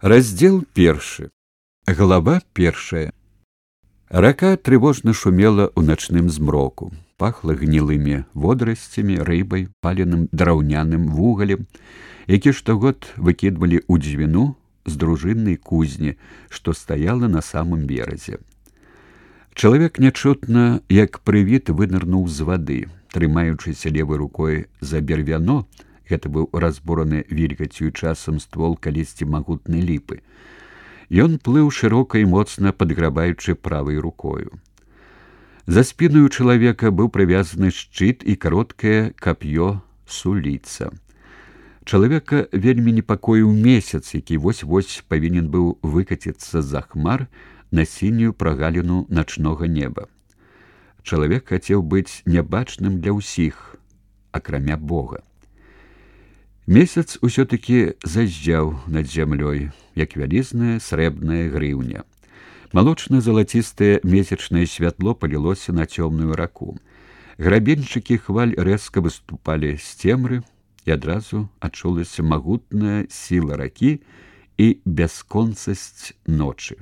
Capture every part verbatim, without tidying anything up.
Раздзел першы. Глава першая. Рака трывожна шумела ў начным змроку. Пахла гнілымі водарасцямі, рыбай, паленым драўняным вугалем, які штогод выкідвалі ў дзвіну з дружыннай кузні, што стаяла на самым беразе. Чалавек нячутна, як прывід, вынырнуў з вады, трымаючыся левай рукой за бервяно. Гэта быў разбураны вільгаццю часам ствол калісьці магутнай ліпы. Ён плыў шырока і моцна падграбаючы правай рукою. За спінаю чалавека быў прывязаны шчыт і кароткае кап'ё суліца. Чалавека вельмі непакоіў месяц, які вось-вось павінен быў выкаціцца за хмар на сінюю прагаліну начнога неба. Чалавек хацеў быць нябачным для ўсіх, акрамя Бога. Месяц усё-такі заззяў над зямлёй, як вялізная срэбная грыўня. Малочна-залацістае месячнае святло палілося на цёмную раку. Грабеньчыкі хваль рэзка выступалі з цемры, і адразу адчулася магутная сіла ракі і бясконцасць ночы.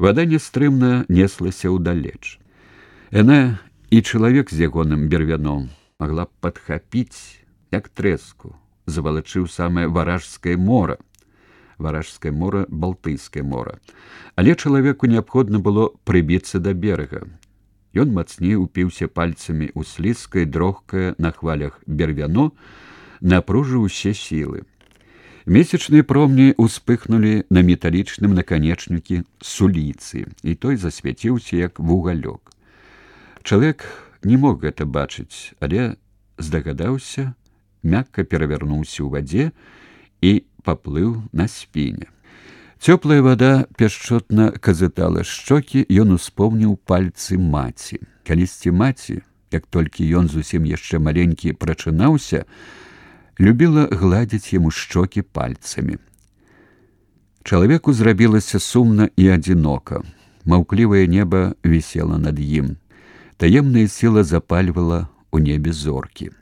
Вада нястрымна неслася ўдалеч. Яна і чалавек з ягоным бервяном магла б падхапіць, як трэску, завалачыў самае варажскае мора. Варажскае мора — Балтыйскае мора. Але чалавеку неабходна было прыбіцца да берага. Ён мацней упіўся пальцамі ў слізкае, дрохкае на хвалях бервяно, напружыў усе сілы. Месячныя промні ўспыхнулі на металічным наканечнікі суліцы, і той засвяціўся, як вугалёк. Чалавек не мог гэта бачыць, але здагадаўся, мякка перавярнуўся ў вадзе і паплыў на спіне. Цёплая вада пяшчотна казытала шчокі, ён успомніў пальцы маці. Калісьці маці, як толькі ён зусім яшчэ маленькі прачынаўся, любіла гладзіць яму шчокі пальцамі. Чалавеку зрабілася сумна і адзінока. Маўклівае неба вісела над ім. Таемная сіла запальвала ў небе зоркі.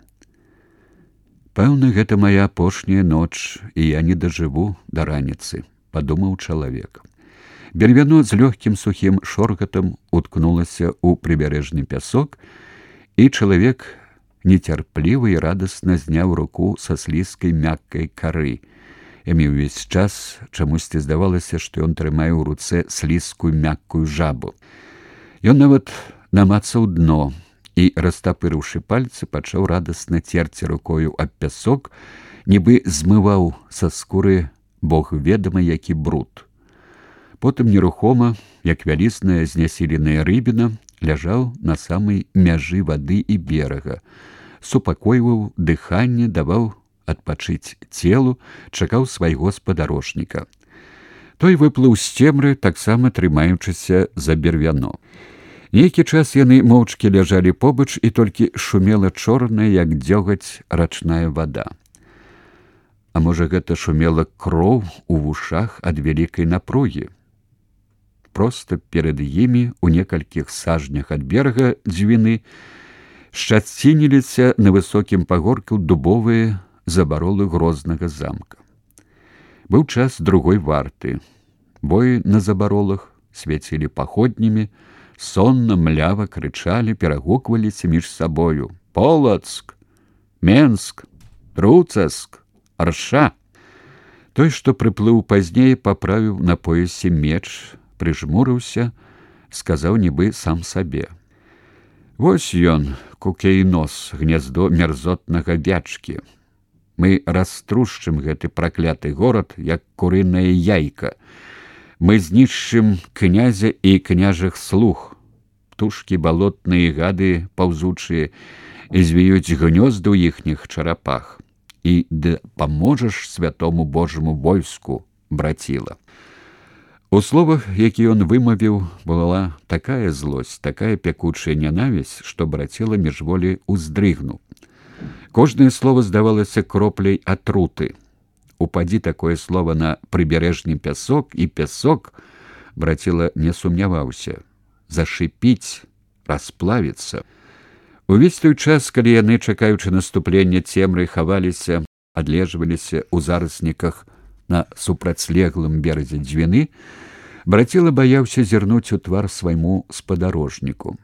«Пэўна, гэта моя апошняя ноч, і я не дажыву да раніцы», — падумаў чалавек. Бервяно з лёгкім сухім шоргатам уткнулася ў прыбярэжны пясок, і чалавек нецярпліва і радасна зняў руку са слізкай мяккай кары. Яму ўвесь час чамусьці здавалася, што ён трымае ў руцэ слізкую мяккую жабу. Ён нават намацаў дно і, растапырыўшы пальцы, пачаў радасна церці рукою аб пясок, нібы змываў са скуры бог ведама які бруд. Потым нерухома, як вялізная знясіленая рыбіна, ляжаў на самай мяжы вады і берага, супакойваў дыханне, даваў адпачыць целу, чакаў свайго спадарожніка. Той выплыў з цемры, таксама трымаючыся за бервяно. Нейкі час яны моўчкі ляжалі побач, і толькі шумела чорная, як дзёгаць, рачная вада. А можа, гэта шумела кроў у вушах ад вялікай напругі? Проста перад імі, у некалькіх сажнях ад берага дзвіны, шчацініліся на высокім пагорку дубовыя забаролы грознага замка. Быў час другой варты. Боі на забаролах свяцілі паходнямі, сонна, млява крычалі, перагукваліся між сабою: «Полацк! Менск! Труцаск! Арша!» Той, што прыплыў пазней, паправіў на поясе меч, прыжмурыўся, сказаў нібы сам сабе: «Вось ён, Кукейнос, гняздо мерзотнага вячкі. Мы раструшчым гэты пракляты горад, як курыная яйка. Мы знішчым князя і княжых слуг. Птушкі балотныя, гады паўзучыя, звіюць гнёзды ў іхніх чарапах. І дапаможаш святому Божаму войску, браціла». У словах, які ён вымавіў, была такая злосць, такая пякучая нянавісць, што браціла міжволі ўздрыгнуў. Кожнае слово здавалася кропляй атруты. Упадзі такое слово на прыбярэжны пясок, і пясок, браціла не сумняваўся, зашипіць, расплавіцца. Увесь той час, калі яны, чакаючы наступлення цемры, хаваліся, адлежваліся ў зарасніках на супрацьлеглым беразе Дзвіны, браціла баяўся зірнуць у твар свайму спадарожніку.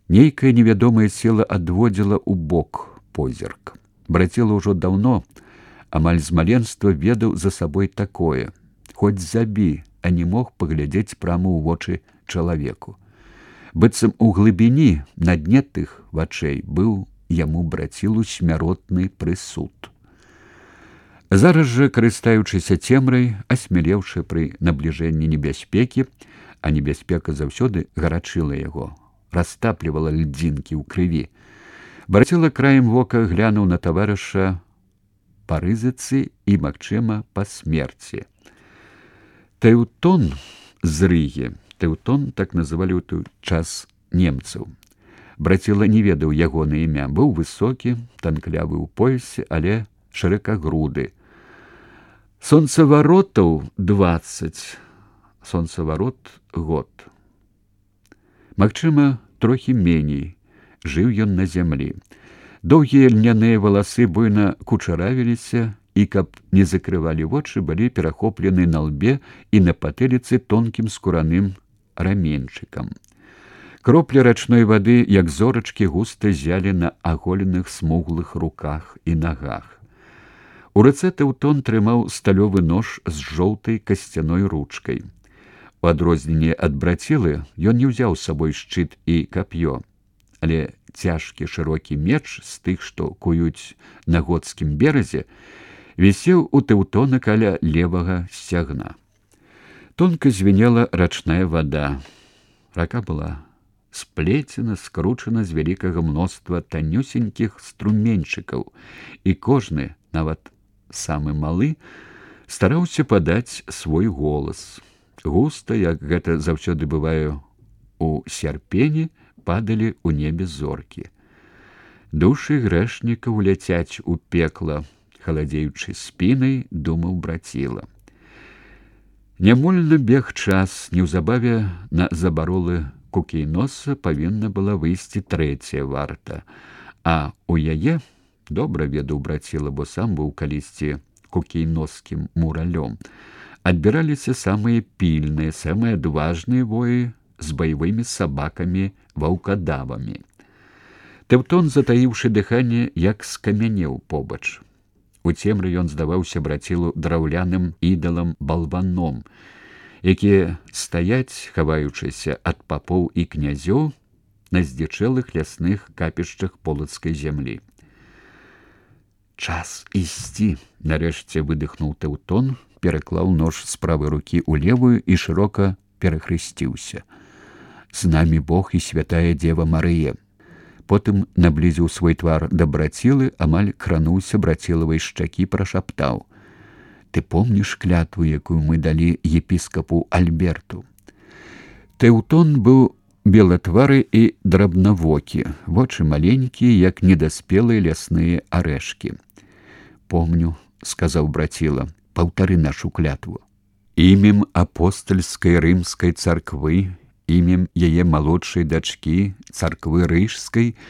Нейкая невядомая сила адводзіла ў бок позірк. Браціла ўжо даўно, амаль з маленства ведаў за сабой такое: хоць забі, а не мог паглядзець прама ў вочы чалавеку. Быццам у глыбіні, на дне тых вачэй быў яму брацілу смяротны прысуд. Зараз жа, карыстаючыся цемрай, асмелеўшы пры набліжэнні небяспекі, а небяспека заўсёды гарачыла яго, растаплівала льдзінкі ў крыві, браціла краем вока глянуў на таварыша па рызыцы і, магчыма, па смерці. Тэўтон з Рыгі, Тэўтон так называлі ў той час немцаў. Браціла не ведаў ягона імя, быў высокі, танклявы ў поясе, але шыракагруды. Сонцаваротаў дваццаць, сонцаварот год. Магчыма, трохі меней, жыў ён на зямлі. Доўгія льняныя валасы буйна кучаравіліся, і, каб не закрывалі вочы, былі перахоплены на лбе і на патыліцы тонкім скураным раменьчыкам. Кроплі рачной вады, як зорачкі, густа зялі на аголеных смуглых руках і нагах. У руцэ Тэўтон трымаў сталёвы нож з жоўтай касцяной ручкай. У адрозненне ад брацілы ён не ўзяў з сабой шчыт і кап'ё, але цяжкі шырокі меч з тых, што куюць на готскім беразе, вісеў у Тэўтона каля левага сцягна. Тонка звенела рачная вада. Рака была сплецена, скручана з вялікага мноства танюсенькіх струменьчыкаў, і кожны, нават самы малы, стараўся падаць свой голас. Густа, як гэта заўсёды бывае у сярпені, падалі ў небе зоркі. Душы грэшнікаў ляцяць у пекла, халадзеючы спінай, думаў браціла. Нямольна бег час, неўзабаве на забаролы Кукейноса павінна была выйсці трэцяя варта, а у яе, добра ведаў браціла, бо сам быў калісьці кукейноскім муралём, адбіраліся самыя пільныя, самыя адважныя воі з баявымі сабакамі-ваўкадавамі. Тэўтон, затаіўшы дыханне, як скамянеў побач. У цемры ён здаваўся брацілу драўляным ідалам-балваном, якія стаяць, хаваючыся ад папоў і князёў на здзічэлых лясных капішчах полацкай зямлі. «Час ісці!» — нарэшце выдыхнуў Тэўтон, пераклаў нож з правай рукі ў левую і шырока перахрысціўся. «З намі Бог і святая Дзева Марыя!» Потым наблізіў свой твар да брацілы, амаль крануўся брацілавай шчакі, прашаптаў: «Ты помніш клятву, якую мы далі епіскапу Альберту?» Тэўтон быў белатвары і драбнавокі, вочы маленькія, як недаспелыя лясныя арэшкі. «Помню», — сказаў браціла, — «паўтары нашу клятву. Імем апостальскай рымскай царквы, імем яе малодшай дачкі, царквы рыжскай,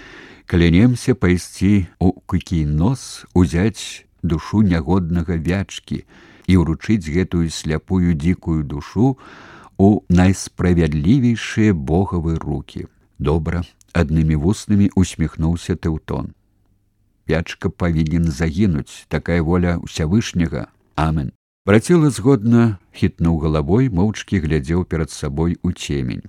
клянемся пайсці ў Кукейнос, узяць душу нягоднага вячкі і ўручыць гэтую сляпую дзікую душу у найсправядлівейшыя богавы рукі». «Добра», — аднымі вуснамі усміхнуўся Тэўтон. «Вячка павінен загінуць, такая воля ўсявышняга. Амен». Браціла згодна хітнуў галавой, моўчкі глядзеў перад сабой у цемень.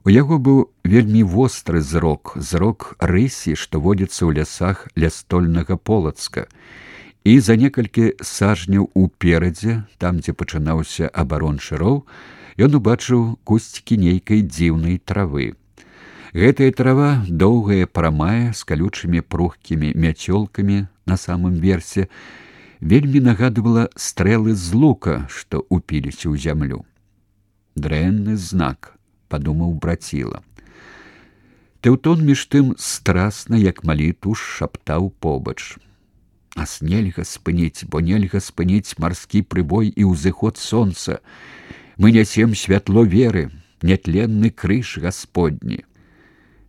У яго быў вельмі востры зрок, зрок рысі, што водзіцца ў лясах лястольнага Полацка. І за некалькі сажняў уперадзе, там, дзе пачынаўся абарончы роў, ён убачыў кусцікі нейкай дзіўнай травы. Гэтая трава, доўгая, прамая, з калючымі пругкімі мяцёлкамі на самым версе, вельмі нагадывала стрэлы з лука, што упіліся ў зямлю. «Дрэнны знак», — падумаў браціла. Тэўтон між тым страсна, як малітву, шаптаў побач: «Нас нельга спыніць, бо нельга спыніць марскі прыбой і ўзыход сонца. Мы нясем святло веры, нетленны крыж Гасподні».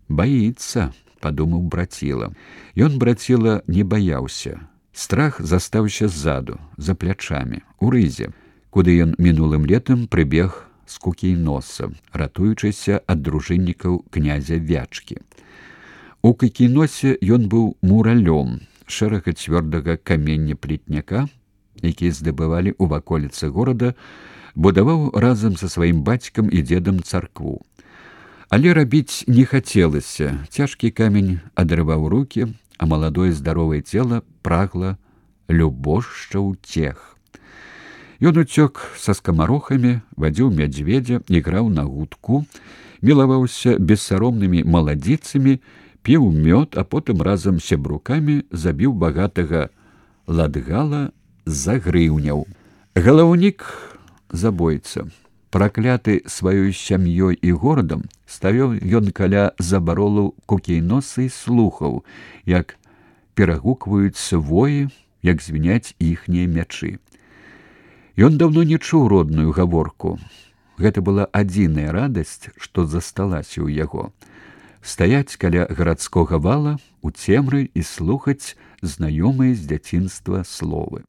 «Баіцца», — падумаў браціла. Ён, браціла, не баяўся. Страх застаўся ззаду, за плячамі, у рызе, куды ён мінулым летам прыбег з Кукійноса, ратуючыся ад дружыннікаў князя Вячкі. У Кукійносе ён быў муралём шэрага цвёрдага камення плетняка, які здабывалі ў ваколіцы горада, будаваў разам са сваім бацькам і дзедам царкву. Але рабіць не хацелася, цяжкі камень адрываў рукі, а маладое здаровае цела прагла любошча ўцех. Ён уцёк са скамарохамі, вадзіў мядзведзя, іграў на гудку, мілаваўся бессаромнымі маладзіцамі, піў мёд, а потым разам з сябрукамі забіў багатага ладгала за грыўняў. Галаўнік забойца, пракляты сваёй сям'ёй і горадам, ставіў ён каля забаролу Кукійноса і слухаў, як перагукваюцца воі, як звіняць іхнія мячы. Ён даўно не чуў родную гаворку. Гэта была адзіная радасць, што засталася ў яго. Стаяць каля гарадскога вала, у цемры і слухаць знаёмыя з дзяцінства словы.